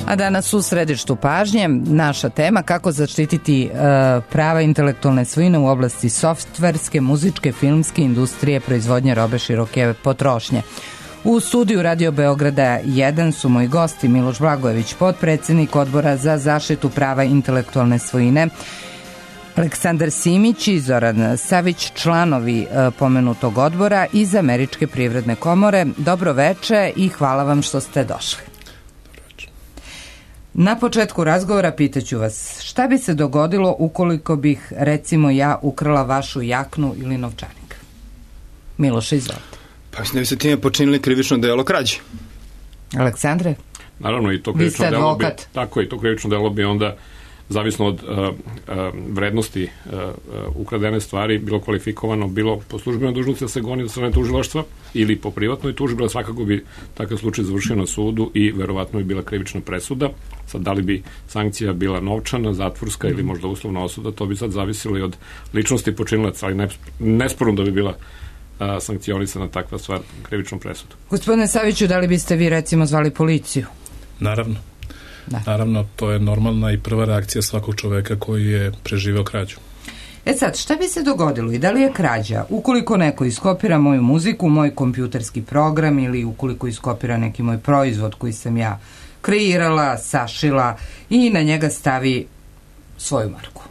A danas u središtu pažnje naša tema kako zaštititi prava intelektualne svojine u oblasti softverske, muzičke, filmske industrije, proizvodnje robe široke potrošnje. U studiju Radio Beograda 1 su moji gosti Miloš Blagojević, potpredsednik Odbora za zaštitu prava intelektualne svojine, Aleksandar Simić i Zoran Savić, članovi pomenutog odbora iz Američke privredne komore. Dobro veče i hvala vam što ste došli. Na početku razgovora pitaću vas, šta bi se dogodilo ukoliko bih, recimo ja, ukrala vašu jaknu ili novčanik? Miloš, izvolite. Pa mislim da bi se time počinili krivično delo krađe. Aleksandre? Naravno, i to krivično delo bi, tako i to krivično delo bi onda, zavisno od vrednosti ukradene stvari, bilo kvalifikovano, bilo po službenoj dužnosti da se goni od strane tužilaštva ili po privatnoj tužbi, svakako bi takav slučaj završio na sudu i verovatno bi bila krivična presuda. Sad, da li bi sankcija bila novčana, zatvorska ili možda uslovna osuda, to bi sad zavisilo i od ličnosti počinilaca, ali nesporno da bi bila sankcionisana takva stvar krivičnom presudom. Gospodine Saviću, da li biste vi recimo zvali policiju? Naravno. Da. Naravno, to je normalna i prva reakcija svakog čoveka koji je preživeo krađu. Sad, šta bi se dogodilo i da li je krađa ukoliko neko iskopira moju muziku, moj kompjuterski program ili ukoliko iskopira neki moj proizvod koji sam ja kreirala, sašila i na njega stavi svoju marku?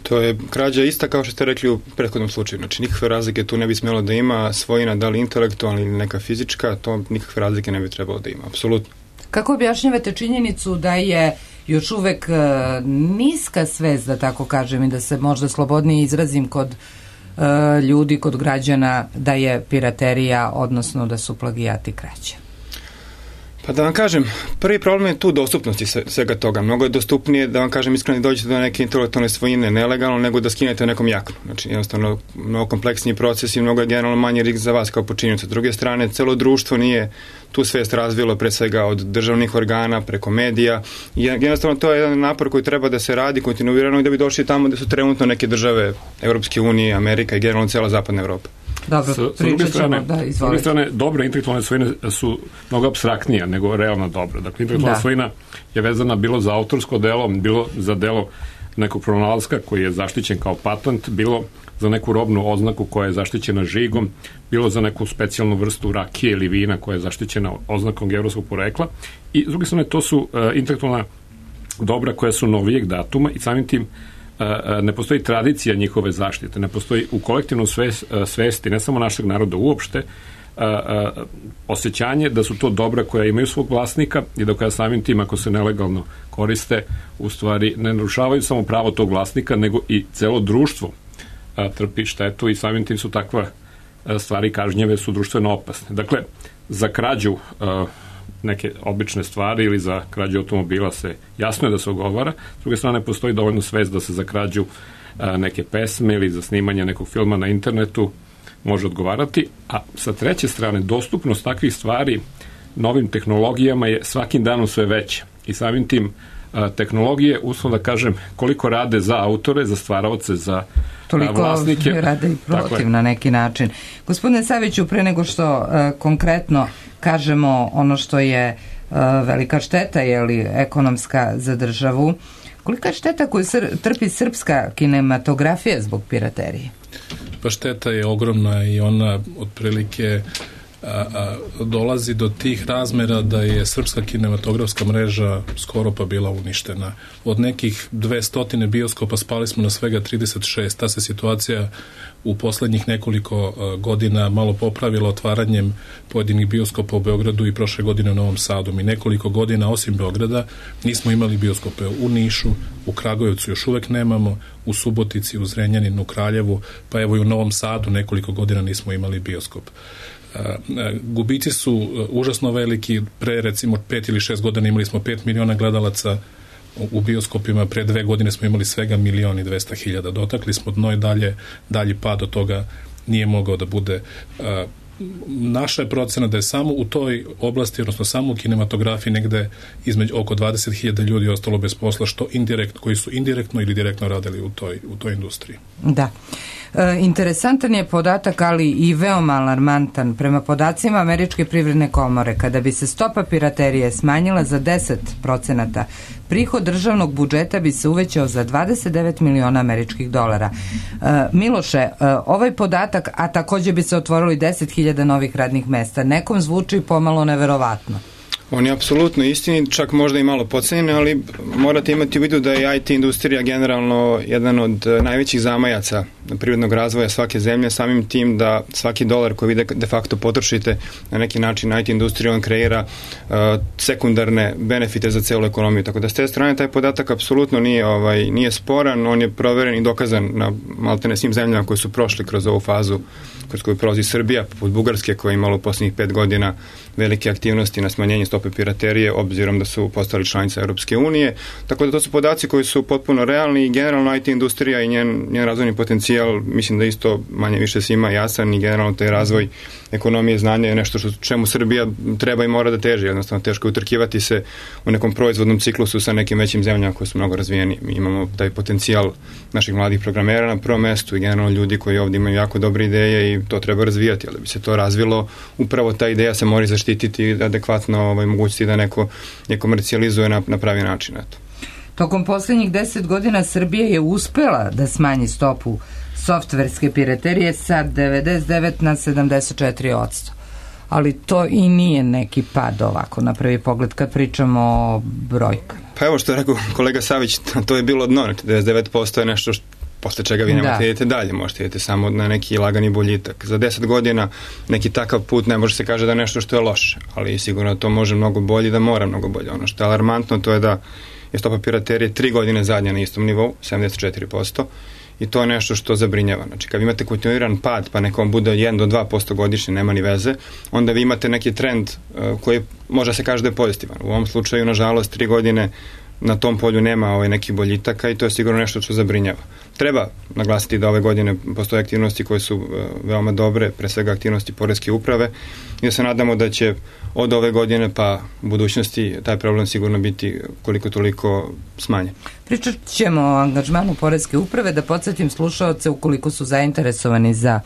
To je krađa ista kao što ste rekli u prethodnom slučaju. Znači, nikakve razlike tu ne bi smjelo da ima, svojina, da li intelektualna ili neka fizička, to nikakve razlike ne bi trebalo da ima, apsolutno. Kako objašnjavate činjenicu da je još uvek niska svest, da tako kažem, i da se možda slobodnije izrazim kod ljudi, kod građana, da je piraterija, odnosno da su plagijati krađe? Pa da vam kažem, prvi problem je tu dostupnosti svega toga. Mnogo je dostupnije, da vam kažem iskreno, da dođete do neke intelektualne svojine nelegalno, nego da skinete nekom jaknu. Znači, jednostavno, mnogo kompleksniji proces i mnogo je generalno manji rizik za vas kao počinioca. S druge strane, celo društvo nije tu svest razvilo pre svega od državnih organa, preko medija. I jednostavno, to je jedan napor koji treba da se radi kontinuirano i da bi došli tamo gde su trenutno neke države Evropske unije, Amerika i generalno cela zapadna Evropa. Dobro, pričat ćemo, da, izvolite. S druge strane, dobre intelektualne svojine su mnogo apstraktnija nego realno dobra. Dakle, intelektualna svojina je vezana bilo za autorsko delo, bilo za delo nekog pronalaska koji je zaštićen kao patent, bilo za neku robnu oznaku koja je zaštićena žigom, bilo za neku specijalnu vrstu rakije ili vina koja je zaštićena oznakom geografskog porekla. I s druge strane, to su intelektualna dobra koja su novijeg datuma i samim tim ne postoji tradicija njihove zaštite, ne postoji u kolektivnom svesti, ne samo našeg naroda uopšte, osjećanje da su to dobra koja imaju svog vlasnika i da koja samim tim, ako se nelegalno koriste, u stvari ne narušavaju samo pravo tog vlasnika, nego i celo društvo trpi štetu i samim tim su takva stvari kažnjeve, su društveno opasne. Dakle, za krađu neke obične stvari ili za krađu automobila se jasno je da se ogovara, s druge strane postoji dovoljno svest da se za krađu neke pesme ili za snimanje nekog filma na internetu može odgovarati, a sa treće strane dostupnost takvih stvari novim tehnologijama je svakim danom sve veća i samim tim tehnologije, uslovno da kažem, koliko rade za autore, za stvaraoce, za vlasnike. Toliko rade i protiv na neki način. Gospodine Saviću, pre nego što konkretno kažemo ono što je velika šteta, je li ekonomska za državu, kolika je šteta koju trpi srpska kinematografija zbog piraterije? Pa šteta je ogromna i ona otprilike dolazi do tih razmera da je srpska kinematografska mreža skoro pa bila uništena. Od nekih 200 bioskopa spali smo na svega 36. Ta se situacija u poslednjih nekoliko godina malo popravila otvaranjem pojedinih bioskopa u Beogradu i prošle godine u Novom Sadu. Mi nekoliko godina, osim Beograda, nismo imali bioskope u Nišu, u Kragujevcu još uvek nemamo, u Subotici, u Zrenjaninu, u Kraljevu, pa evo i u Novom Sadu nekoliko godina nismo imali bioskop. Gubici su užasno veliki. Pre recimo 5 ili 6 godina imali smo 5 miliona gledalaca u bioskopima, pre 2 godine smo imali svega 1.200.000. Dotakli smo dno i dalji pad od toga nije mogao da bude. Naša je procena da je samo u toj oblasti, odnosno samo u kinematografiji negde između oko 20.000 ljudi ostalo bez posla, što koji su indirektno ili direktno radili u toj industriji. Da. Interesantan je podatak, ali i veoma alarmantan. Prema podacima Američke privredne komore, kada bi se stopa piraterije smanjila za 10%, prihod državnog budžeta bi se uvećao za 29 miliona američkih dolara. Miloše, ovaj podatak, a takođe bi se otvorili 10.000 novih radnih mesta, nekom zvuči pomalo neverovatno. On je apsolutno istini, čak možda i malo podcenjen, ali morate imati u vidu da je IT industrija generalno jedan od najvećih zamajaca privrednog razvoja svake zemlje, samim tim da svaki dolar koji vi de facto potrošite na neki način IT industrija, on kreira sekundarne benefite za celu ekonomiju. Tako da s te strane taj podatak apsolutno nije sporan, on je proveren i dokazan na maltene svim zemljama koje su prošli kroz ovu fazu kroz koju prolazi Srbija, poput Bugarske koja je imala u poslednjih 5 godina velike aktivnosti na smanjenje stope piraterije, obzirom da su postali članice Europske unije. Tako da to su podaci koji su potpuno realni i generalno IT industrija i njen razvojni potencijal, mislim da isto manje više svima jasan i generalno taj razvoj ekonomije znanja je nešto čemu Srbija treba i mora da teži. Jednostavno teško je utrkivati se u nekom proizvodnom ciklusu sa nekim većim zemljama koje su mnogo razvijeni. Mi imamo taj potencijal naših mladih programera na prvom mestu i generalno ljudi koji ovdje imaju jako dobre ideje i to treba razvijati, ali da bi se to razvilo, upravo ta ideja se mora zaštititi i adekvatno mogućnosti da neko je komercijalizuje na pravi način. Eto. Tokom poslednjih 10 godina Srbija je uspela da smanji stopu softverske piraterije sa 99 na 74%. Ali to i nije neki pad ovako na prvi pogled kad pričamo o brojkama. Pa evo što je rekao kolega Savić, to je bilo dno, 99% je nešto posle čega vi nemate idete dalje, možete idete samo na neki lagani boljitak. Za 10 godina neki takav put ne može se kaže da je nešto što je loše, ali sigurno to može mnogo bolje, da mora mnogo bolje. Ono što je alarmantno to je da je stopa piraterije 3 godine zadnja na istom nivou, 74%, i to je nešto što zabrinjava. Znači, kad imate kontinuiran pad, pa nekom bude 1 do 2% godišnje, nema ni veze, onda vi imate neki trend koji može se kaže da je pozitivan. U ovom slučaju, nažalost, 3 godine na tom polju nema nekih boljitaka i to je sigurno nešto što zabrinjava. Treba naglasiti da ove godine postoje aktivnosti koje su veoma dobre, pre svega aktivnosti poreske uprave, i da se nadamo da će od ove godine pa u budućnosti taj problem sigurno biti koliko toliko smanjen. Pričat ćemo o angažmanu poreske uprave, da podsjetim slušaoce ukoliko su zainteresovani za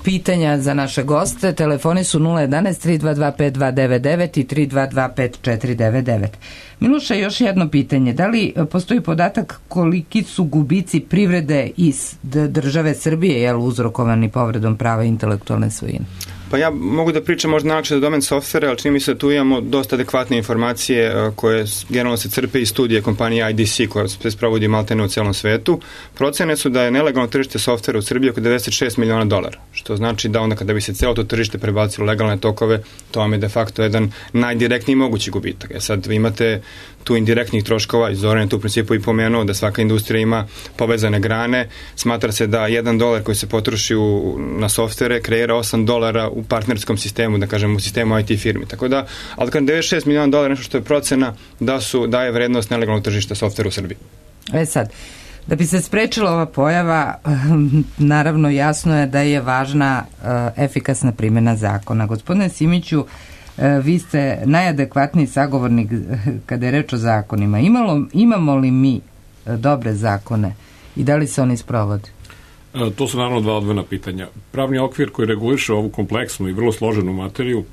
pitanja za naše goste. Telefoni su 011 322 5299 i 322 5499. Miloša, još jedno pitanje. Da li postoji podatak koliki su gubici privrede iz države Srbije uzrokovani povredom prava intelektualne svojine? Pa ja mogu da pričam možda najlakše za domen softvera, ali čini mi se da tu imamo dosta adekvatne informacije koje generalno se crpe iz studije kompanije IDC koja se sprovodi maltene u celom svetu. Procene su da je nelegalno tržište softvera u Srbiji oko $96 miliona, što znači da onda kada bi se celo to tržište prebacilo legalne tokove, to vam je de facto jedan najdirektniji mogući gubitak. Sad vi imate tu indirektnih troškova, i Zoran je tu u principu i pomenuo da svaka industrija ima povezane grane, smatra se da $1 koji se potroši na softvere kreira $8 u partnerskom sistemu, da kažem u sistemu IT firmi, tako da, ali kad $96 miliona nešto što je procena da je vrednost nelegalnog tržišta softvera u Srbiji. Sad, da bi se sprečila ova pojava, naravno jasno je da je važna efikasna primjena zakona. Gospodine Simiću, vi ste najadekvatniji sagovornik kada je reč o zakonima. Imamo li mi dobre zakone i da li se oni sprovode? To su naravno dva odvojena pitanja. Pravni okvir koji reguliše ovu kompleksnu i vrlo složenu materiju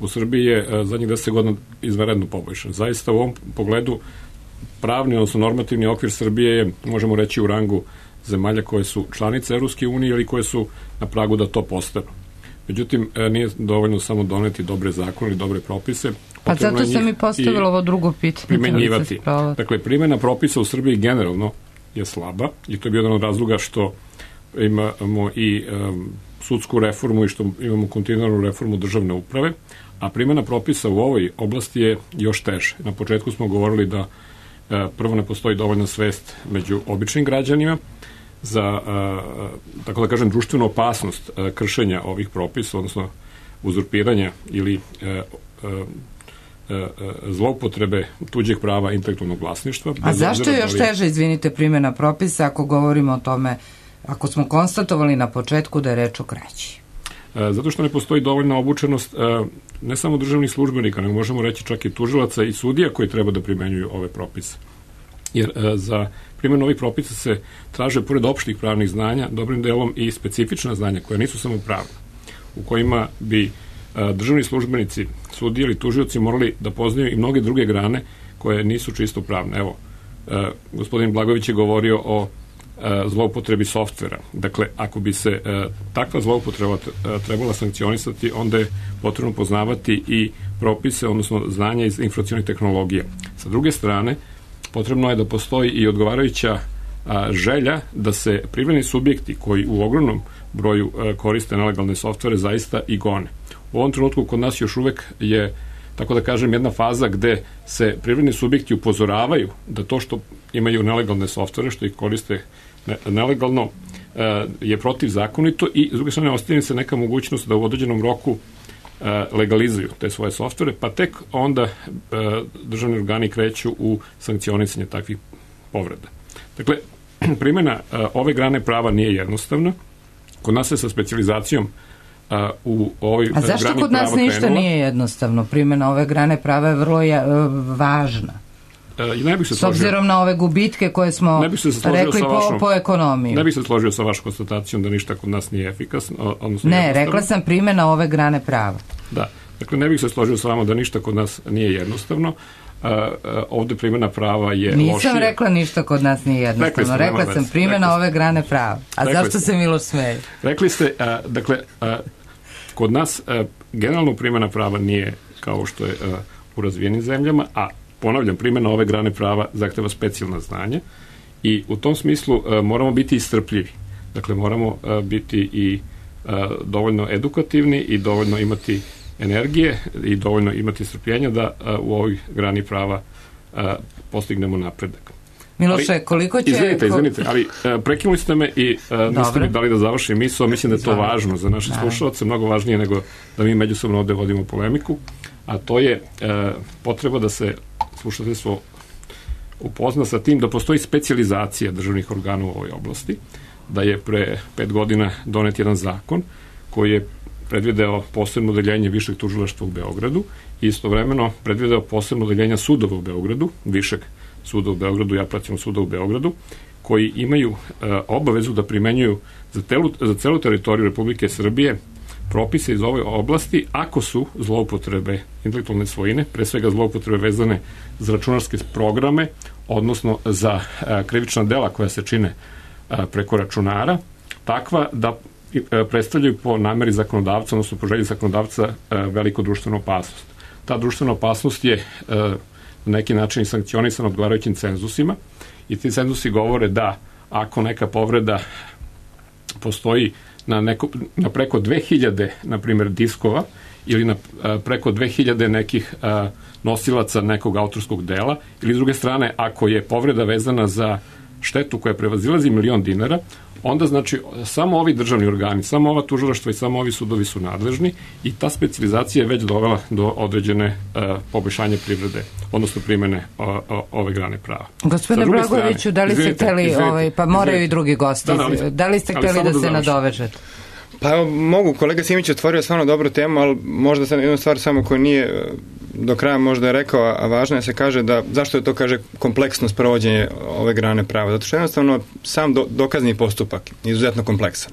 u Srbiji je zadnjih 10 godina izvanredno poboljšan. Zaista u ovom pogledu pravni, odnosno normativni okvir Srbije je, možemo reći, u rangu zemalja koje su članice Evropske unije ili koje su na pragu da to postanu. Međutim, nije dovoljno samo doneti dobre zakone ili dobre propise. Pa zato sam i postavila ovo drugo pitanje. Primenjivati. Dakle, primjena propisa u Srbiji generalno je slaba i to je bio jedan od razloga što imamo i sudsku reformu i što imamo kontinuiranu reformu državne uprave, a primjena propisa u ovoj oblasti je još teže. Na početku smo govorili da prvo ne postoji dovoljna svest među običnim građanima za, tako da kažem, društvenu opasnost kršenja ovih propisa, odnosno uzurpiranja ili zloupotrebe tuđeg prava intelektualnog vlasništva. A zašto je još teže, izvinite, primjena propisa ako govorimo o tome, ako smo konstatovali na početku da je reč o kraći? Zato što ne postoji dovoljna obučenost ne samo državnih službenika, nego možemo reći čak i tužilaca i sudija koji treba da primenjuju ove propise. jer za primjenu ovih propisa se traže pored opštih pravnih znanja dobrim delom i specifična znanja koja nisu samo pravna, u kojima bi državni službenici, sudije ili tužioci morali da poznaju i mnoge druge grane koje nisu čisto pravne. Evo, gospodin Blagojević je govorio o zloupotrebi softvera. Dakle, ako bi se takva zloupotreba trebala sankcionisati, onda je potrebno poznavati i propise, odnosno znanja iz informacionih tehnologija. Sa druge strane, potrebno je da postoji i odgovarajuća želja da se privredni subjekti koji u ogromnom broju koriste nelegalne softvere zaista i gone. U ovom trenutku kod nas još uvek je, tako da kažem, jedna faza gde se privredni subjekti upozoravaju da to što imaju nelegalne softvere, što ih koriste nelegalno, je protivzakonito i s druge strane ostaje se neka mogućnost da u određenom roku legalizuju te svoje softvere, pa tek onda državni organi kreću u sankcionisanje takvih povreda. Dakle, primjena ove grane prava nije jednostavna. Kod nas se sa specijalizacijom u ovoj grani prava krenula. A zašto kod nas ništa nije jednostavno? Primjena ove grane prava je vrlo važna. S obzirom na ove gubitke koje smo rekli po ekonomiji. Ne bih se složio sa vašom konstatacijom da ništa kod nas nije efikasno. Ne, rekla sam primjena ove grane prava. Da, dakle ne bih se složio sa vama da ništa kod nas nije jednostavno. Ovde primjena prava je lošija. Nisam rekla ništa kod nas nije jednostavno. Rekla sam primjena ove grane prava. A zašto se Miloš smeje? Rekli ste, dakle, kod nas generalno primjena prava nije kao što je u razvijenim zemljama, a ponavljam, primjena ove grane prava zahteva specijalna znanja i u tom smislu moramo biti strpljivi. Dakle, moramo biti i dovoljno edukativni i dovoljno imati energije i dovoljno imati strpljenja da u ovoj grani prava postignemo napredak. Miloše, koliko će... Izvinite, ali prekinuli ste me i niste mi dali da završim misao. Mislim da je to važno za naše slušalce, mnogo važnije nego da mi međusobno ovde vodimo polemiku, a to je potreba da se slušateljstvo upozna sa tim da postoji specijalizacija državnih organa u ovoj oblasti, da je pre 5 godina donet jedan zakon koji je predvideo posebno odeljenje Višeg tužilaštva u Beogradu i istovremeno predvideo posebno odeljenja sudova u Beogradu, Višeg suda u Beogradu i Apelacionog suda u Beogradu, koji imaju obavezu da primenjuju za celu teritoriju Republike Srbije propise iz ove oblasti ako su zloupotrebe intelektualne svojine, pre svega zloupotrebe vezane za računarske programe, odnosno za krivična dela koja se čine preko računara, takva da predstavljaju po nameri zakonodavca, odnosno po želji zakonodavca veliku društvenu opasnost. Ta društvena opasnost je na neki način sankcionisana odgovarajućim cenzusima i ti cenzusi govore da ako neka povreda postoji na preko 2000, na primjer, diskova ili na preko 2000 nekih nosilaca nekog autorskog dela, ili s druge strane, ako je povreda vezana za štetu koja prevazilazi $1.000.000, onda znači samo ovi državni organi, samo ova tužilaštva i samo ovi sudovi su nadležni i ta specijalizacija je već dovela do određene poboljšanja privrede, odnosno primene ove grane prava. Gospodine Blagojeviću, da li ste hteli, pa moraju i drugi gosti, da li ste hteli da se nadovežete? Pa evo, mogu, kolega Simić otvorio stvarno dobru temu, ali možda sam jednu stvar samo koju nije do kraja možda je rekao, a važno je se kaže da, zašto je to kaže kompleksno sprovođenje ove grane prava? Zato što jednostavno sam dokazni postupak je izuzetno kompleksan.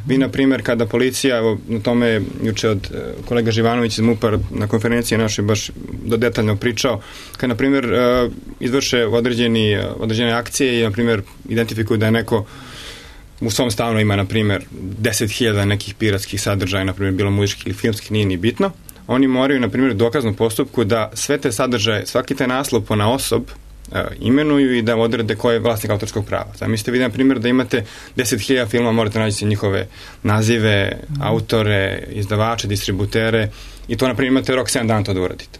Vi, na primjer, kada policija, evo, na tome je juče od kolega Živanović iz MUP-a na konferenciji našoj baš detaljno pričao, kada, na primjer, izvrše određene akcije i, na primjer, identifikuju da je neko u svom stanu ima, na primjer, 10.000 nekih piratskih sadržaja, na primjer, bilo muzičkih ili filmskih, nije ni bitno. Oni moraju, na primjer, u dokaznom postupku da sve te sadržaje, svaki taj naslov ponaosob imenuju i da odrede ko je vlasnik autorskog prava. Zamislite vi, na primjer, da imate 10.000 filma, morate naći njihove nazive, autore, izdavače, distributere i to, na primjer, imate rok 7 dana to da uradite.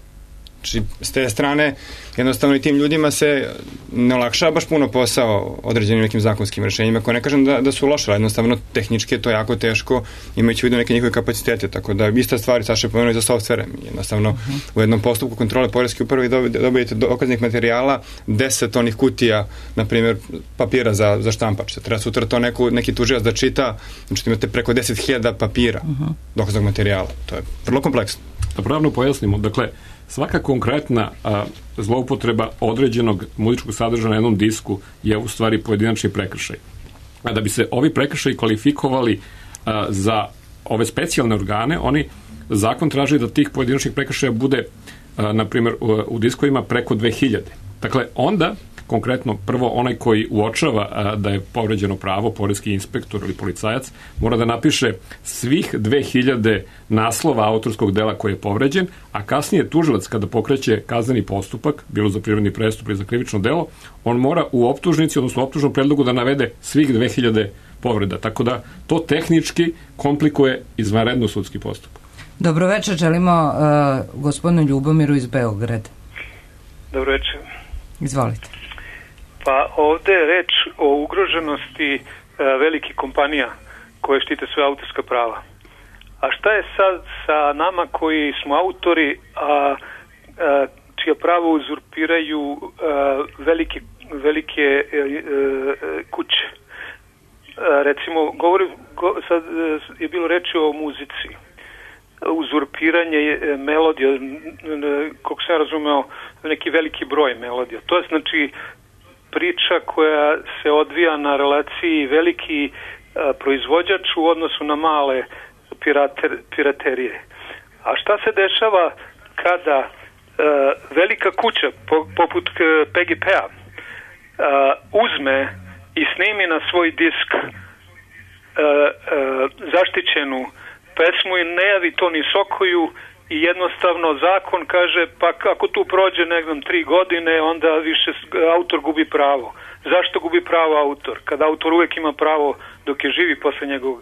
Znači, s te strane, jednostavno i tim ljudima se ne olakšava baš puno posao određenim nekim zakonskim rešenjima, koje ne kažem da su loše, ali jednostavno tehnički je to jako teško, imajući u vidu neke njihove kapacitete, tako da ista stvar, Saša je pomenuo i za softvere. Jednostavno, u jednom postupku kontrole poreske uprave dobijete dokaznih materijala 10 onih kutija, na primjer, papira za štampač. Treba sutra to neki tužilac da čita, znači imate preko 10.000 papira dokaznog materijala. To je vrlo kompleksno. Da pravno pojasnimo, dakle, svaka konkretna zloupotreba određenog muzičkog sadržaja na jednom disku je u stvari pojedinačni prekršaj. A da bi se ovi prekršaji kvalifikovali za ove specijalne organe, zakon traži da tih pojedinačnih prekršaja bude, na primjer, u diskovima preko 2000. Dakle, onda konkretno, prvo, onaj koji uočava da je povređeno pravo, poreski inspektor ili policajac, mora da napiše svih 2000 naslova autorskog dela koji je povređen, a kasnije tužilac kada pokreće kazneni postupak, bilo za privredni prestup ili za krivično delo, on mora u optužnici, odnosno u optužnom predlogu da navede svih 2000 povreda. Tako da to tehnički komplikuje izvanredno sudski postupak. Dobro večer, želimo gospodinu Ljubomiru iz Beograda. Dobro večer. Izvolite. Pa ovde je reč o ugroženosti velikih kompanija koje štite svoje autorska prava. A šta je sad sa nama koji smo autori, a čija prava uzurpiraju velike kuće? Recimo, sad je bilo reči o muzici. Uzurpiranje melodija, kako sam razumeo, neki veliki broj melodija. To je znači priča koja se odvija na relaciji veliki proizvođač u odnosu na male piraterije. A šta se dešava kada velika kuća poput PGP-a uzme i snimi na svoj disk zaštićenu pesmu i ne javi to ni Sokoju i jednostavno zakon kaže pa ako tu prođe 3 godine onda više autor gubi pravo. Zašto gubi pravo autor? Kada autor uvek ima pravo dok je živi posle njegovog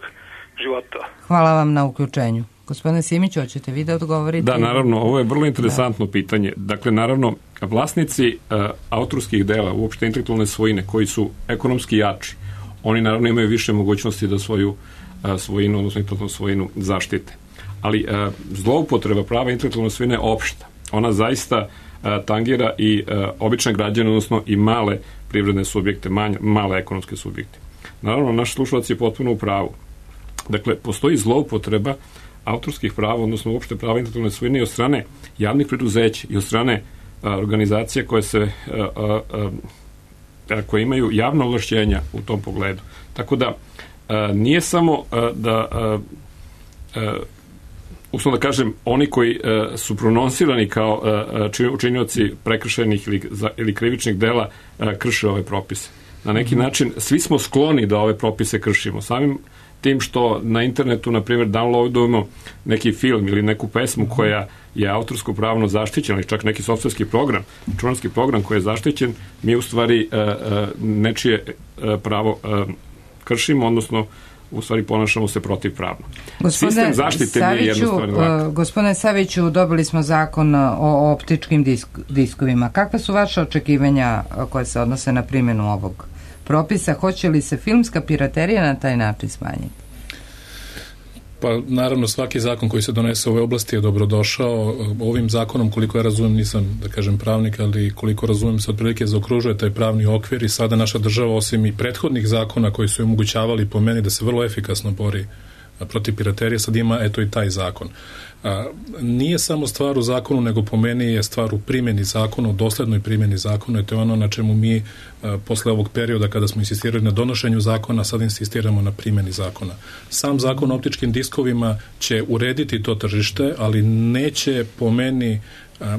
života. Hvala vam na uključenju. Gospodine Simiću, hoćete vi da odgovorite? Da, naravno, ovo je vrlo interesantno pitanje. Dakle, naravno, vlasnici autorskih dela, uopšte intelektualne svojine, koji su ekonomski jači, oni naravno imaju više mogućnosti da svoju svojinu, odnosno intelektualnu svojinu zaštite. Ali zloupotreba prava intelektualne svojine je opšta. Ona zaista tangira i obične građane, odnosno i male privredne subjekte, male ekonomske subjekte. Naravno, naš slušalac je potpuno u pravu. Dakle, postoji zloupotreba autorskih prava, odnosno uopšte prava intelektualne svojine i od strane javnih preduzeća i od strane organizacija koje imaju javna ovlašćenja u tom pogledu. Tako da nije samo uslovno da kažem, oni koji su prononsirani kao učinioci prekršajnih ili krivičnih dela krše ove propise. Na neki način svi smo skloni da ove propise kršimo. Samim tim što na internetu, na primjer, downloadujemo neki film ili neku pesmu koja je autorsko pravno zaštićena, ili čak neki softverski program, računarski program koji je zaštićen, mi u stvari nečije pravo kršimo, odnosno u stvari ponašamo se protivpravno. Sistem zaštite nije jednostavno lako. Gospodine Saviću, dobili smo zakon o optičkim diskovima. Kakva su vaše očekivanja koje se odnose na primjenu ovog propisa? Hoće li se filmska piraterija na taj način smanjiti? Pa naravno svaki zakon koji se donese u ovoj oblasti je dobrodošao. Ovim zakonom, koliko ja razumijem, nisam da kažem pravnik, ali koliko razumijem se otprilike zaokružuje taj pravni okvir i sada naša država, osim i prethodnih zakona koji su omogućavali po meni da se vrlo efikasno bori protiv piraterije, sad ima eto i taj zakon. Nije samo stvar u zakonu, nego po meni je stvar u primjeni zakona, u doslednoj primjeni zakona, i to je ono na čemu mi posle ovog perioda kada smo insistirali na donošenju zakona, sad insistiramo na primjeni zakona. Sam zakon o optičkim diskovima će urediti to tržište, ali neće po meni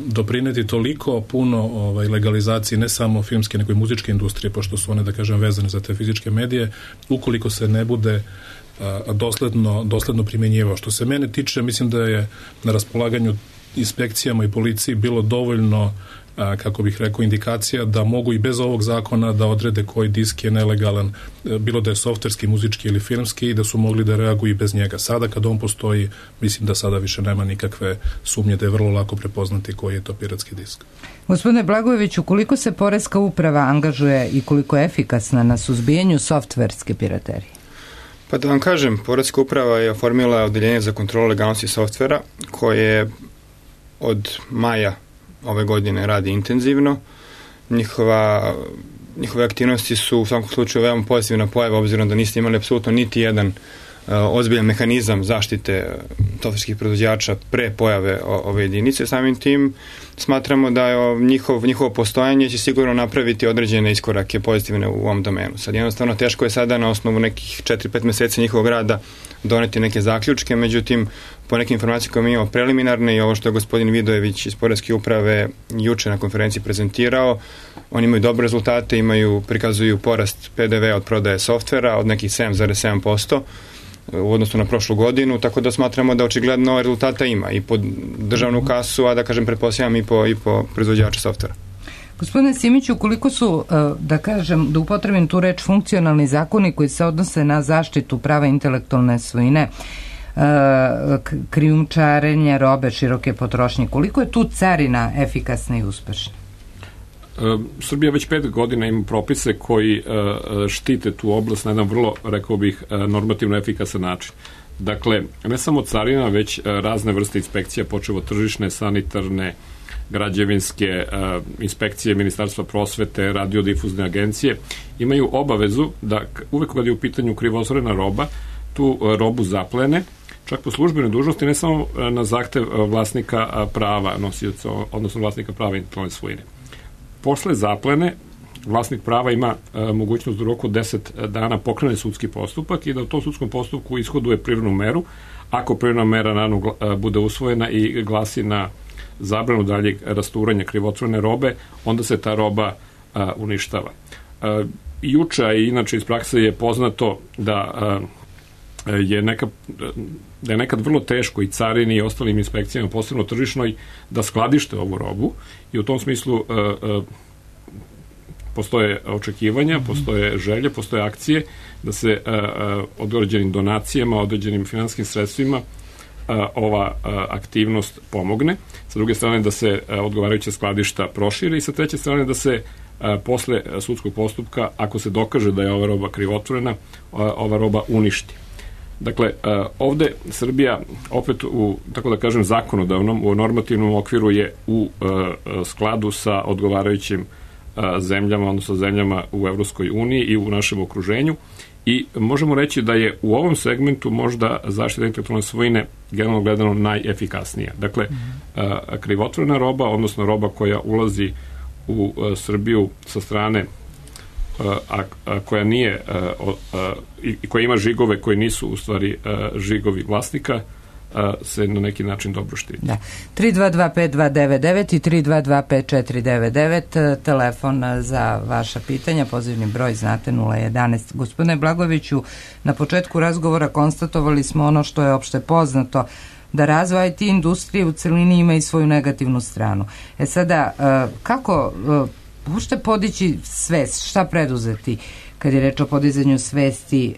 doprineti toliko puno legalizaciji ne samo filmske nego i muzičke industrije, pošto su one, da kažem, vezane za te fizičke medije, ukoliko se ne bude dosledno primjenjivao. Što se mene tiče, mislim da je na raspolaganju inspekcijama i policiji bilo dovoljno, kako bih rekao, indikacija da mogu i bez ovog zakona da odrede koji disk je nelegalan, bilo da je softverski, muzički ili filmski, i da su mogli da reaguju i bez njega. Sada kad on postoji, mislim da sada više nema nikakve sumnje da je vrlo lako prepoznati koji je to piratski disk. Gospodine Blagojeviću, koliko se poreska uprava angažuje i koliko je efikasna na suzbijanju softverske piraterije? Pa da vam kažem, Poreska uprava je oformila odeljenje za kontrolu legalnosti softvera koje od maja ove godine radi intenzivno. Njihove aktivnosti su u svakom slučaju veoma pozitivna pojava, obzirom da niste imali apsolutno niti jedan ozbiljan mehanizam zaštite softverskih proizvođača pre pojave ove jedinice. Samim tim smatramo da je njihovo postojanje će sigurno napraviti određene iskorake pozitivne u ovom domenu. Sad jednostavno teško je sada na osnovu nekih 4-5 meseci njihovog rada doneti neke zaključke, međutim po nekim informacijama koje mi imamo preliminarne i ovo što je gospodin Vidojević iz Poreske uprave juče na konferenciji prezentirao, oni imaju dobre rezultate, prikazuju porast PDV od prodaje softvera od nekih 7,7% u odnosu na prošlu godinu, tako da smatramo da očigledno rezultata ima i po državnu kasu, a da kažem pretpostavljam i po proizvođača softvera. Gospodine Simiću, koliko su, da upotrebim tu reč, funkcionalni zakoni koji se odnose na zaštitu prava intelektualne svojine, krijumčarenje robe široke potrošnje, koliko je tu carina efikasna i uspešna? Srbija već 5 godina ima propise koji štite tu oblast na jedan vrlo, rekao bih, normativno efikasan način. Dakle, ne samo carina, već razne vrste inspekcija, počev od tržišne, sanitarne, građevinske inspekcije Ministarstva prosvete, radiodifuzne agencije, imaju obavezu da uvek kad je u pitanju krivotvorena roba, tu robu zaplene, čak po službenoj dužnosti, ne samo na zahtev vlasnika prava, nosioca, odnosno vlasnika prava intelektualne svojine. Posle zaplene, vlasnik prava ima mogućnost da u roku 10 dana pokrene sudski postupak i da u tom sudskom postupku ishoduje privrednu meru. Ako privredna mera naravno bude usvojena i glasi na zabranu daljeg rasturanja krivotvorene robe, onda se ta roba uništava. Juče i inače iz prakse je poznato da je nekad vrlo teško i carini i ostalim inspekcijama, posebno tržišnoj, da skladište ovu robu i u tom smislu postoje očekivanja, postoje želje, postoje akcije da se određenim donacijama, određenim finanskim sredstvima ova aktivnost pomogne. Sa druge strane da se odgovarajuće skladišta prošire i sa treće strane da se posle sudskog postupka, ako se dokaže da je ova roba krivotvorena, ova roba uništi. Dakle, ovde Srbija opet u, tako da kažem, zakonodavnom, u normativnom okviru je u skladu sa odgovarajućim zemljama, odnosno zemljama u Evropskoj uniji i u našem okruženju i možemo reći da je u ovom segmentu možda zaštita intelektualne svojine generalno gledano najefikasnija. Dakle, krivotvorena roba, odnosno roba koja ulazi u Srbiju sa strane koja nije i koja ima žigove koji nisu u stvari žigovi vlasnika, se na neki način dobro štiti. Da. 3225299 i 3225499 telefon za vaša pitanja, pozivni broj znate 011. Gospodine Blagojeviću, na početku razgovora konstatovali smo ono što je opšte poznato, da razvoj IT industrije u celini ima i svoju negativnu stranu. Sada, kako uopšte podići svest, šta preduzeti kad je reč o podizanju svesti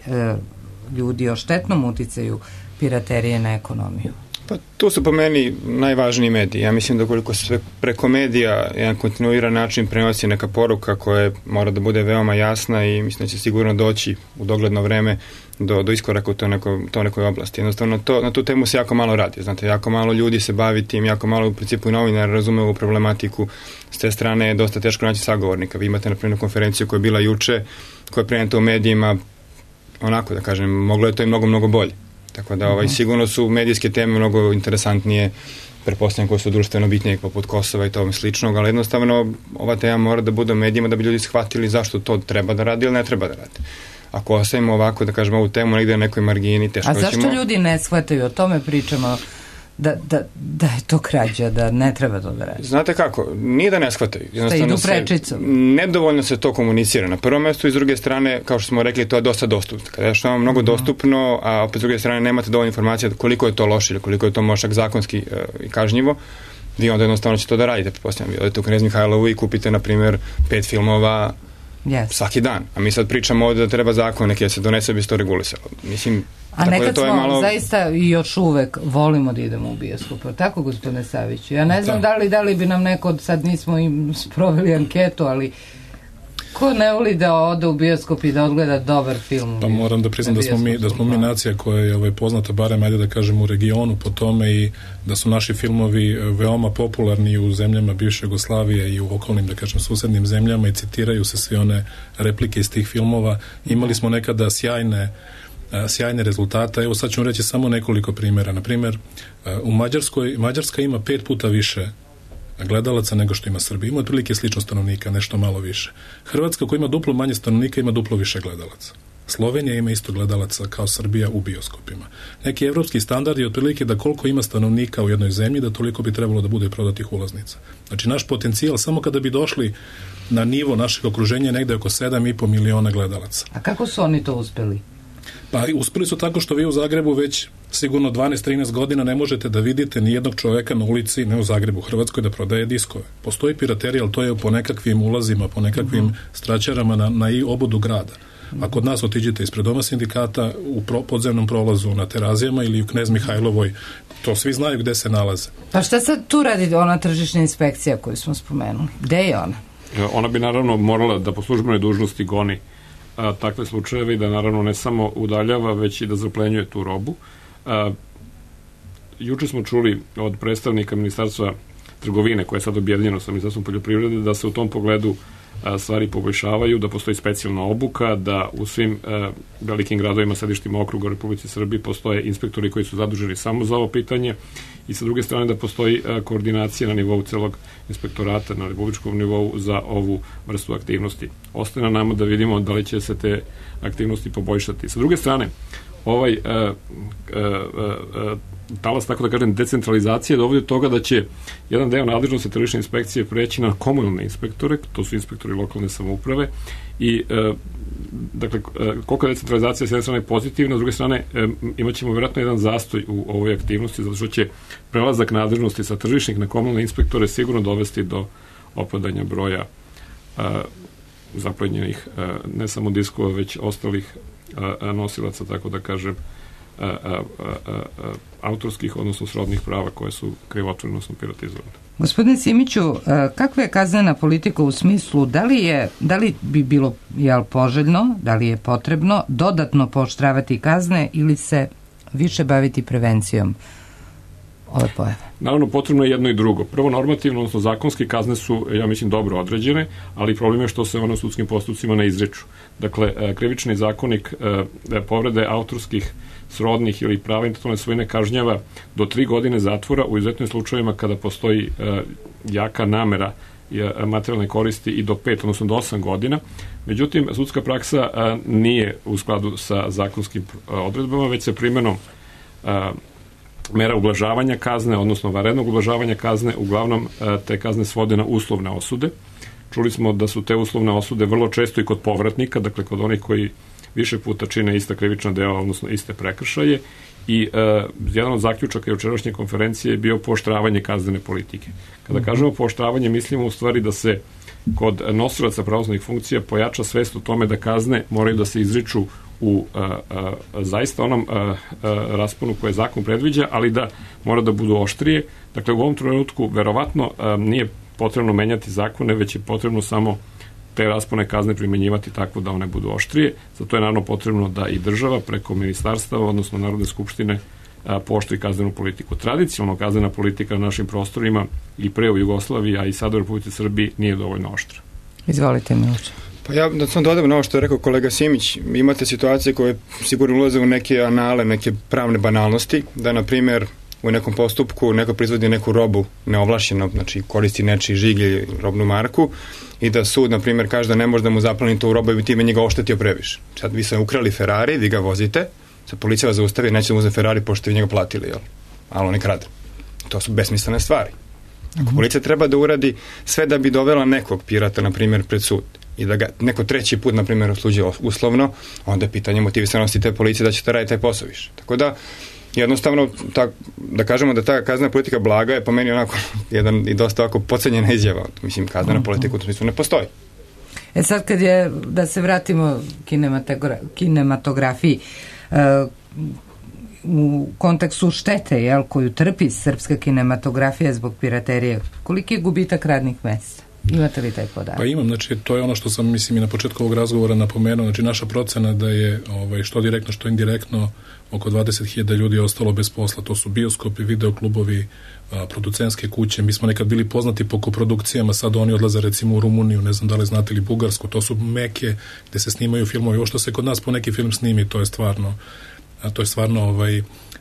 ljudi o štetnom uticaju piraterije na ekonomiju? Pa tu su po meni najvažniji mediji. Ja mislim da koliko se preko medija jedan kontinuiran način prenosi neka poruka koja mora da bude veoma jasna i mislim da će sigurno doći u dogledno vreme do iskoraka u to nekoj oblasti. Jednostavno na tu temu se jako malo radi. Znate, jako malo ljudi se bavi tim, jako malo u principu i novinara razume ovu problematiku. S te strane je dosta teško naći sagovornika. Vi imate na primjer konferenciju koja je bila juče, koja je preneta u medijima, onako da kažem, moglo je to i mnogo bolje. Tako da sigurno su medijske teme mnogo interesantnije, pretpostavljam koje su društveno bitnije poput Kosova i tome sličnog, ali jednostavno ova tema mora da bude u medijima da bi ljudi shvatili zašto to treba da radi ili ne treba da radi. Ako ostavimo ovako, da kažemo, ovu temu negde na nekoj margini, teško ćemo... A zašto ljudi ne shvataju? O tome pričamo da je to krađa, da ne treba to da radi. Znate kako, nije da ne shvataju. Šta idu prečicom? Nedovoljno se to komunicira na prvom mestu i s druge strane, kao što smo rekli, to je dosta dostupno. Kada je što vam mnogo dostupno, a opet s druge strane nemate dovoljno informacija koliko je to loše ili koliko je to možda zakonski i kažnjivo, vi onda jednostavno ćete to da radite. Pretpostavljam, vi odete u Knez Mihajlovu i kupite, na primjer, 5 filmova svaki dan. A mi sad pričamo ovde da treba zakon neki da se donese bi se to regulisalo. Mislim, a nekad smo malo... zaista i još uvek volimo da idemo u bioskop. Tako, gospodine Saviću? Ja ne znam da li bi nam neko, sad nismo im sproveli anketu, ali ko ne voli da ode u bioskop i da odgleda dobar film? Pa moram da priznam da smo mi nacija koja je poznata, barem ajde da kažem u regionu po tome, i da su naši filmovi veoma popularni u zemljama bivše Jugoslavije i u okolnim, da kažem, susednim zemljama i citiraju se sve one replike iz tih filmova. Imali smo nekada sjajne sjajne rezultate. Evo sad ću reći samo nekoliko primjera. Naprimjer, u Mađarska ima 5 puta više gledalaca nego što ima Srbija. Ima otprilike slično stanovnika, nešto malo više. Hrvatska koja ima duplo manje stanovnika ima duplo više gledalaca. Slovenija ima isto gledalaca kao Srbija u bioskopima. Neki evropski standard je otprilike da koliko ima stanovnika u jednoj zemlji, da toliko bi trebalo da bude prodatih ulaznica. Znači naš potencijal, samo kada bi došli na nivo našeg okruženja, negde oko 7,5 miliona gledalaca. A kako su oni to uspeli? Pa uspeli su tako što vi u Zagrebu već sigurno 12-13 godina ne možete da vidite ni jednog čoveka na ulici, ne u Zagrebu, u Hrvatskoj, da prodaje diskove. Postoji piraterija, ali to je po nekakvim ulazima, po nekakvim straćarama na i obodu grada. A kod nas otiđete ispred doma sindikata u podzemnom prolazu na Terazijama ili u Knez Mihajlovoj, to svi znaju gde se nalaze. Pa šta sad tu radi ona tržišna inspekcija koju smo spomenuli? Gde je ona? Ona bi naravno morala da po službenoj dužnosti goni takve slučajeve i da naravno ne samo udaljava, već i da zaplenjuje tu robu. Juče smo čuli od predstavnika Ministarstva trgovine, koje je sad objedinjeno sa Ministarstvom poljoprivrede, da se u tom pogledu stvari poboljšavaju, da postoji specijalna obuka, da u svim velikim gradovima, sedištima okruga u Republici Srbiji postoje inspektori koji su zaduženi samo za ovo pitanje i sa druge strane da postoji koordinacija na nivou celog inspektorata na republičkom nivou za ovu vrstu aktivnosti. Ostaje na nama da vidimo da li će se te aktivnosti poboljšati. Sa druge strane, ovaj talas, tako da kažem, decentralizacije dovodi do toga da će jedan deo nadležnosti tržišne inspekcije preći na komunalne inspektore, to su inspektori lokalne samouprave i dakle, koliko je decentralizacija s jedne strane pozitivna, s druge strane imat ćemo vjerojatno jedan zastoj u ovoj aktivnosti, zato što će prelazak nadležnosti sa tržišnih na komunalne inspektore sigurno dovesti do opadanja broja zaplenjenih ne samo diskova, već ostalih nosilaca, tako da kažem, autorskih, odnosno srodnih prava koje su krivotvoreno, odnosno piratizovane. Gospodine Simiću, kakva je kaznena politika u smislu, da li bi bilo poželjno, da li je potrebno dodatno pooštravati kazne ili se više baviti prevencijom ove pojave? Naravno, potrebno je jedno i drugo. Prvo, normativno, odnosno zakonske kazne su, ja mislim, dobro određene, ali problem je što se ono u sudskim postupcima ne izreču. Dakle, krivični zakonik povrede autorskih, srodnih ili prava intelektualne svojine kažnjava do 3 godine zatvora u izuzetnim slučajevima kada postoji jaka namera materijalne koristi i do 5, odnosno do 8 godina. Međutim, sudska praksa nije u skladu sa zakonskim odredbama, već se primjenom mera ublažavanja kazne, odnosno vanrednog ublažavanja kazne, uglavnom te kazne svode na uslovne osude. Čuli smo da su te uslovne osude vrlo često i kod povratnika, dakle kod onih koji više puta čine ista krivična dela, odnosno iste prekršaje, i jedan od zaključaka jučerašnje konferencije je bio pooštravanje kaznene politike. Kada kažemo pooštravanje, mislimo u stvari da se kod nosilaca pravosudnih funkcija pojača svest o tome da kazne moraju da se izriču u zaista onom rasponu koje zakon predviđa, ali da mora da budu oštrije. Dakle, u ovom trenutku verovatno nije potrebno menjati zakone, već je potrebno samo te raspone kazne primenjivati tako da one budu oštrije. Zato je naravno potrebno da i država preko ministarstava, odnosno Narodne skupštine, pooštri kaznenu politiku. Tradicionalno kaznena politika na našim prostorima i pre u Jugoslaviji, a i sad u Republici Srbiji nije dovoljno oštra. Izvolite, Miloče. Pa ja da sam dodam na ovo što je rekao kolega Simić, imate situacije koje sigurno ulaze u neke anale, neke pravne banalnosti, da na primjer u nekom postupku neko proizvodi neku robu neovlašćeno, znači koristi nečiji žig ili robnu marku i da sud, na primjer, kaže da ne može da mu zapleni tu robu i bi time njega oštetio previše. Sad vi ste ukrali Ferrari, vi ga vozite, sad policija vas zaustavi, neće da mu uzeti Ferrari pošto vi njega platili, jel? Ali on je krade. To su besmislene stvari. Ako policija treba da uradi sve da bi dovela nekog pirata, na primjer, pred sud i da ga neko treći put, na primjer, osuđuje uslovno, onda je pitanje motivisanosti te policije da ćete raditi taj posao više. Tako da, jednostavno, da kažemo da ta kaznena politika blaga je po meni onako jedan i dosta ovako podcenjena izjava. Mislim, kaznena politika u tom smislu ne postoji. Sad kad je, da se vratimo kinematografiji, u kontekstu štete koju trpi srpska kinematografija zbog piraterije, koliki je gubitak radnih mesta? Imate li taj podatak? Pa imam, znači to je ono što sam mislim i na početku ovog razgovora napomenuo, znači naša procena da je što direktno što indirektno oko 20.000 ljudi je ostalo bez posla, to su bioskopi, videoklubovi, producentske kuće, mi smo nekad bili poznati po koprodukcijama, sad oni odlaze recimo u Rumuniju, ne znam da li znate, ili Bugarsku, to su meke gde se snimaju filmovi, ovo što se kod nas po neki film snimi, to je stvarno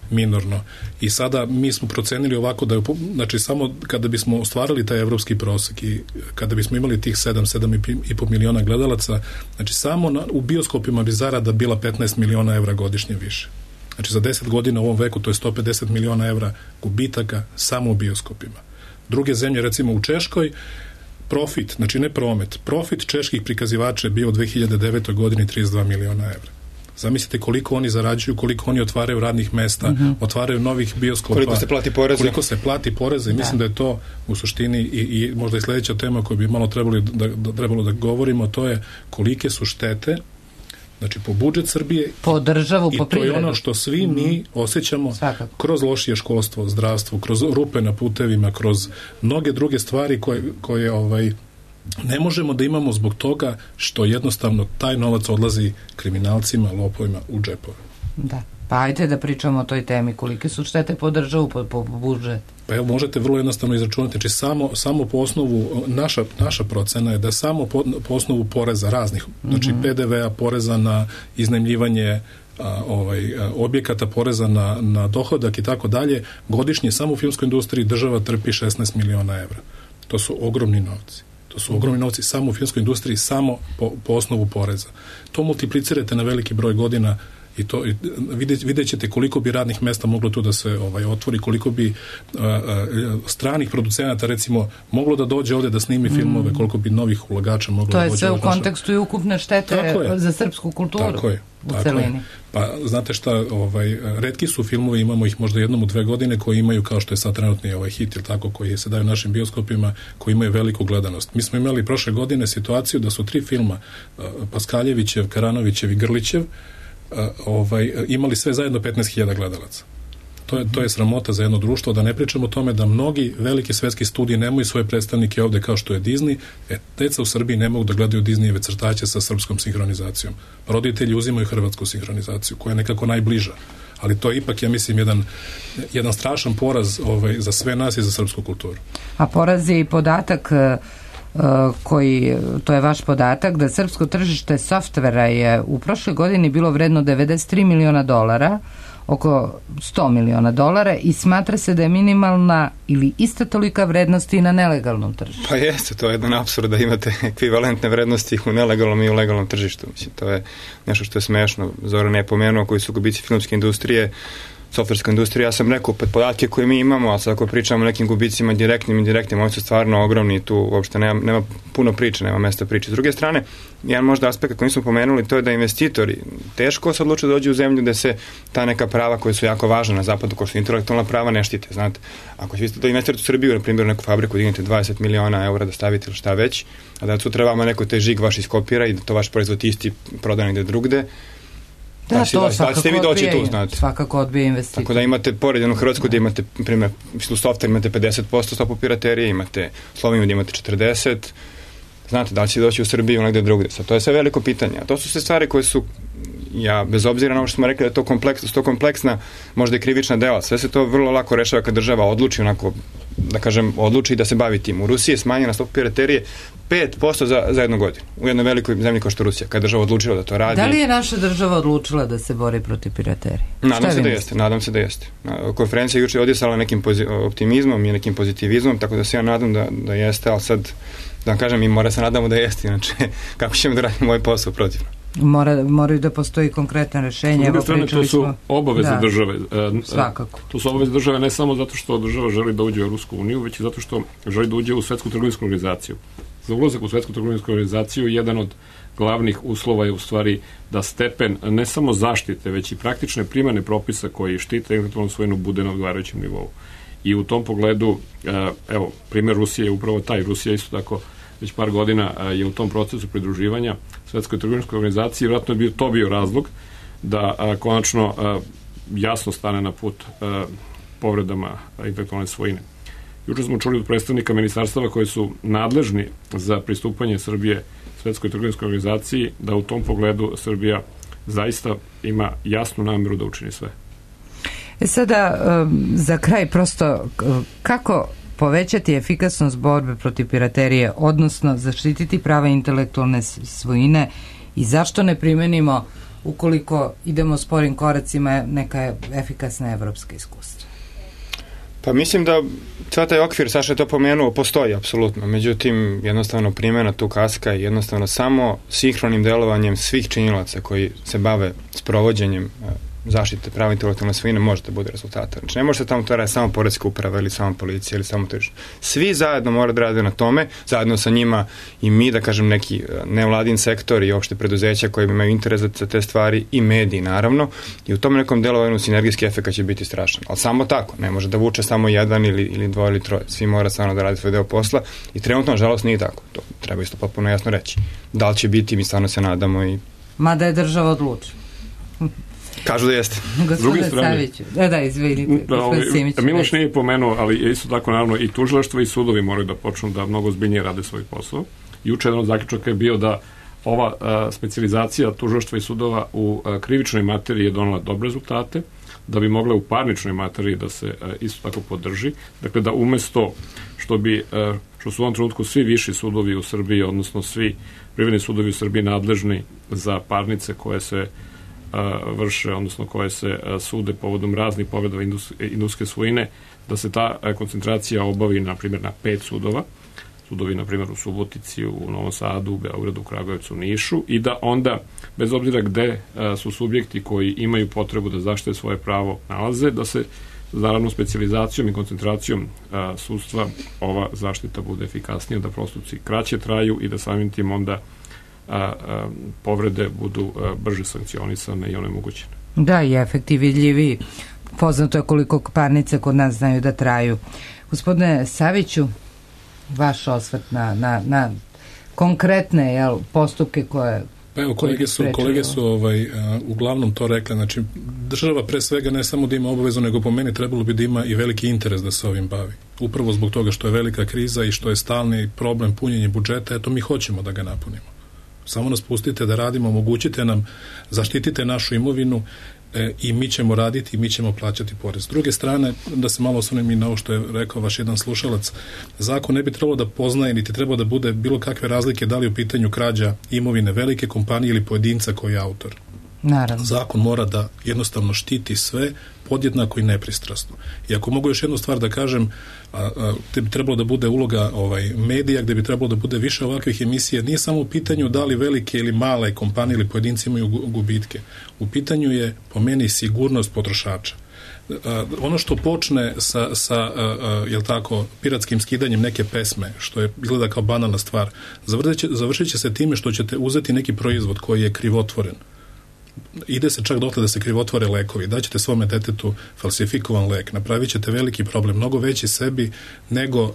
minorno. I sada mi smo procenili ovako da je, znači samo kada bismo ostvarili taj evropski prosek i kada bismo imali tih 7,5 miliona gledalaca, znači samo u bioskopima bi zarada bila 15 miliona evra godišnje više. Znači za 10 godina u ovom veku to je 150 miliona evra gubitaka samo u bioskopima. Druge zemlje, recimo u Češkoj, profit, znači ne promet, profit čeških prikazivača je bio u 2009. godini 32 miliona evra. Zamislite koliko oni zarađuju, koliko oni otvaraju radnih mesta, otvaraju novih bioskopa. Koliko se plati poreza. I mislim da je to u suštini i možda i sledeća tema koju bi malo trebalo da govorimo, to je kolike su štete, znači po budžet Srbije po državu, po privredu. I to je ono što svi mi osjećamo kroz lošije školstvo, zdravstvo, kroz rupe na putevima, kroz mnoge druge stvari koje ne možemo da imamo zbog toga što jednostavno taj novac odlazi kriminalcima, lopovima u džepove. Da. Pa ajde da pričamo o toj temi. Kolike su štete po državu, po budžet? Pa evo, možete vrlo jednostavno izračunati. Znači, samo po osnovu, naša procena je da samo po osnovu poreza raznih, znači PDV-a, poreza na iznajmljivanje objekata, poreza na dohodak i tako dalje, godišnje samo u filmskoj industriji država trpi 16 miliona evra. To su ogromni novci. To su ogromni novci samo u filmskoj industriji, samo po osnovu poreza. To multiplicirate na veliki broj godina i to vidjet ćete koliko bi radnih mesta moglo tu da se otvori, koliko bi stranih producenata recimo moglo da dođe ovde da snimi filmove, koliko bi novih ulagača moglo da dođe. To je sve u kontekstu i ukupne štete za srpsku kulturu. Tako je. U celini. Pa znate šta, retki su filmovi, imamo ih možda jednom u 2 godine koji imaju, kao što je sad trenutni hit ili tako, koji se daju našim bioskopima, koji imaju veliku gledanost. Mi smo imali prošle godine situaciju da su 3 filma, Paskaljevićev, Karanovićev i Grlićev, imali sve zajedno 15.000 gledalaca. To je sramota za jedno društvo, da ne pričamo o tome da mnogi veliki svetski studiji nemaju svoje predstavnike ovde kao što je Disney. Deca u Srbiji ne mogu da gledaju Disneyjeve crtaće sa srpskom sinhronizacijom. Roditelji uzimaju hrvatsku sinhronizaciju, koja je nekako najbliža. Ali to je ipak, ja mislim, jedan strašan poraz za sve nas i za srpsku kulturu. A poraz je i podatak to je vaš podatak, da srpsko tržište softvera je u prošloj godini bilo vredno $93 miliona, oko $100 miliona, i smatra se da je minimalna ili ista tolika vrednost i na nelegalnom tržištu. Pa jeste, to je jedan apsurd da imate ekvivalentne vrednosti u nelegalnom i u legalnom tržištu. Mislim, to je nešto što je smešno. Zoran je pomenuo koji su gubici filmske industrije, softverska industrija. Ja sam rekao, podatke koje mi imamo, ali sad ako pričamo o nekim gubicima direktnim i indirektnim, oni su stvarno ogromni, tu uopšte nema puno priče, nema mesta priče. S druge strane, jedan možda aspekt koji smo pomenuli, to je da investitori teško se odluče da dođu u zemlju gde se ta neka prava koja su jako važna na zapadu, kao što intelektualna prava, ne štite. Znate, ako ćete da investirate u Srbiju, na primjer, neku fabriku, dignete 20 miliona eura da stavite ili šta već, a da sutra vama neko taj žig vaš iskopira i da to vaš proizvod isti proda negde drugde, da, to svakako odbije investitor. Tako da imate pored jednu Hrvatsku gde imate, primjer, u software imate 50% stopu piraterije, imate Sloveniju gde imate 40%, znate, da li će doći u Srbiju negde drugde. Sad, to je sve veliko pitanje. A to su sve stvari koje su, bez obzira na ovo što smo rekli da je to kompleksna, možda i krivična dela, sve se to vrlo lako rešava kad država odluči onako, da kažem, odluči da se bavi tim. U Rusiji je smanjena stopa piraterije 5% za jednu godinu. U jednoj velikoj zemlji kao što je Rusija, kad država odlučila da to radi. Da li je naša država odlučila da se bori protiv piraterije? Nadam se da jeste. Konferencija juče je odjesala nekim optimizmom i nekim pozitivizmom, tako da se ja nadam da jeste, ali sad, da vam kažem, mi mora se nadamo da jeste, inače kako ćemo da radimo ovaj posao protivno. Moraju da postoji konkretne rešenje. S druge strane, to su obaveze države. Svakako. To su obaveze države ne samo zato što država želi da uđe u Evropsku uniju, već i zato što želi da uđe u Svetsku trgovinsku organizaciju. Za ulazak u Svetsku trgovinsku organizaciju jedan od glavnih uslova je u stvari da stepen ne samo zaštite, već i praktične primene propisa koji štite intelektualnu svojinu bude na odgovarajućem nivou. I u tom pogledu, evo, primjer Rusije je upravo taj. Rusija isto tako već par godina je u tom procesu pridruživanja Svetskoj trgovinskoj organizaciji. Vjerojatno je to bio razlog da konačno jasno stane na put povredama intelektualne svojine. Juče smo čuli od predstavnika ministarstava koji su nadležni za pristupanje Srbije Svetskoj trgovinskoj organizaciji da u tom pogledu Srbija zaista ima jasnu nameru da učini sve. Sada, za kraj, prosto, kako povećati efikasnost borbe protiv piraterije, odnosno zaštititi prava intelektualne svojine i zašto ne primenimo, ukoliko idemo sporim koracima, neka efikasna evropska iskustva? Pa mislim da cijel taj okvir, Saša je to pomenuo, postoji apsolutno. Međutim, jednostavno primjena tu kaska je jednostavno samo sinhronim delovanjem svih činilaca koji se bave sprovođenjem zaštite prava intelektualne svojine može da bude rezultata. Znači, ne može se tamo to raditi samo poreska uprava ili samo policija ili samo tržište. Svi zajedno moraju da rade na tome, zajedno sa njima i mi, da kažem, neki nevladin sektor i opšte preduzeća koji imaju interes za te stvari i mediji, naravno, i u tom nekom delovanju sinergijski efekt će biti strašan. Ali samo tako, ne može da vuče samo jedan ili dvoje ili troje. Svi mora stvarno da rade svoj deo posla i trenutno, nažalost, nije tako. To treba isto potpuno jasno reći. Da li će biti, mi stvarno se nadamo i... Mada je država odlučila. Kažu da jeste. Gospodine Saviću. Da, izvinite. Miloš nije pomenuo, ali isto tako naravno i tužilaštvo i sudovi moraju da počnu da mnogo zbiljnije rade svoj posao. Juče jedan od zaključaka je bio da ova specijalizacija tužilaštva i sudova u krivičnoj materiji je donela dobre rezultate, da bi mogla u parničnoj materiji da se isto tako podrži. Dakle, da umesto što su u ovom trenutku svi viši sudovi u Srbiji, odnosno svi privredni sudovi u Srbiji nadležni za parnice koje se vrše, odnosno koje se sude povodom raznih povreda industrijske svojine, da se ta koncentracija obavi, na primjer, na 5 sudova. Sudovi, na primjer, u Subotici, u Novom Sadu, u Beogradu, u Kragujevcu, u Nišu, i da onda, bez obzira gde su subjekti koji imaju potrebu da zaštite svoje pravo nalaze, da se, naravno, specijalizacijom i koncentracijom sudstva ova zaštita bude efikasnija, da postupci kraće traju i da samim tim onda povrede budu brže sankcionisane i onemogućene. Da, i efekti vidljivi. Poznato je koliko parnice kod nas znaju da traju. Gospodine Saviću, vaš osvrt na konkretne postupke koje... Pa evo, kolege su uglavnom to rekli. Znači, država pre svega ne samo da ima obavezu, nego po meni trebalo bi da ima i veliki interes da se ovim bavi. Upravo zbog toga što je velika kriza i što je stalni problem punjenja budžeta, eto mi hoćemo da ga napunimo. Samo nas pustite da radimo, omogućite nam, zaštitite našu imovinu i mi ćemo raditi i mi ćemo plaćati porez. S druge strane, da se malo osvrnem i na ovo što je rekao vaš jedan slušalac, zakon ne bi trebalo da poznaje, niti trebalo da bude bilo kakve razlike da li u pitanju krađa imovine velike kompanije ili pojedinca koji je autor. Naravno. Zakon mora da jednostavno štiti sve podjednako i nepristrasno. I ako mogu još jednu stvar da kažem, gde bi trebalo da bude uloga medija, gde bi trebalo da bude više ovakvih emisija, nije samo u pitanju da li velike ili male kompanije ili pojedinci imaju gubitke. U pitanju je, po meni, sigurnost potrošača. Ono što počne sa jel tako, piratskim skidanjem neke pesme, što je izgleda kao banalna stvar, završit će se time što ćete uzeti neki proizvod koji je krivotvoren. Ide se čak dotle da se krivotvore lekovi, daćete svome detetu falsifikovan lek, napravit ćete veliki problem, mnogo veći sebi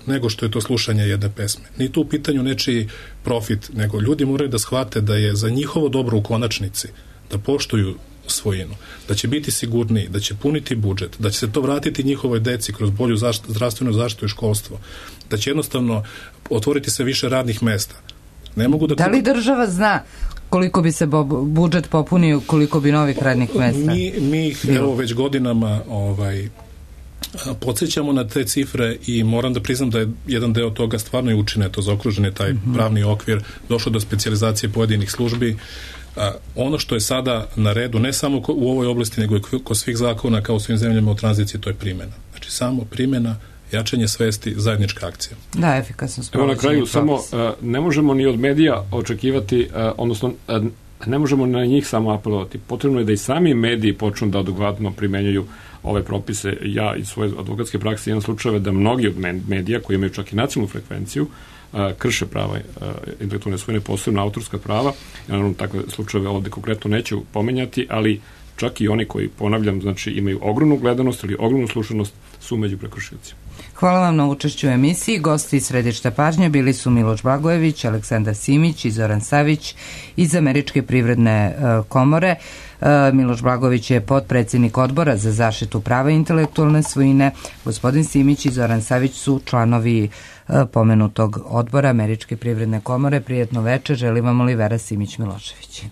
nego što je to slušanje jedne pesme. Ni tu u pitanju nečiji profit, nego ljudi moraju da shvate da je za njihovo dobro u konačnici da poštuju svojinu, da će biti sigurniji, da će puniti budžet, da će se to vratiti njihovoj deci kroz bolju zdravstvenu zaštitu i školstvo, da će jednostavno otvoriti se više radnih mesta. Ne mogu da li država zna koliko bi se budžet popunio, koliko bi novih radnih mesta? Mi ih već godinama podsjećamo na te cifre i moram da priznam da je jedan deo toga stvarno i učineto, zaokružen je taj pravni okvir, došlo do specijalizacije pojedinih službi. Ono što je sada na redu, ne samo u ovoj oblasti, nego i kod svih zakona kao u svim zemljama u tranziciji, to je primjena. Znači samo primjena, jačanje svesti, zajednička akcija. Da, efikasno. Evo na kraju, samo ne možemo ni od medija očekivati, odnosno ne možemo na njih samo apelovati. Potrebno je da i sami mediji počnu da adekvatno primenjuju ove propise. Ja iz svoje advokatske prakse imam slučajeve da mnogi od medija koji imaju čak i nacionalnu frekvenciju krše prava intelektualne svojine, posebno autorska prava. Ja naravno takve slučajeve ovde konkretno neću pomenjati, ali čak i oni koji, ponavljam, znači imaju ogromnu gledanost ili ogromnu slušanost, su među prekršiocima. Hvala vam na učešću u emisiji. Gosti iz Središta pažnje bili su Miloš Blagojević, Aleksandar Simić i Zoran Savić iz Američke privredne komore. Miloš Blagojević je potpredsjednik Odbora za zaštitu prava intelektualne svojine. Gospodin Simić i Zoran Savić su članovi pomenutog odbora Američke privredne komore. Prijetno večer, želim vam Olivera Simić-Milošević.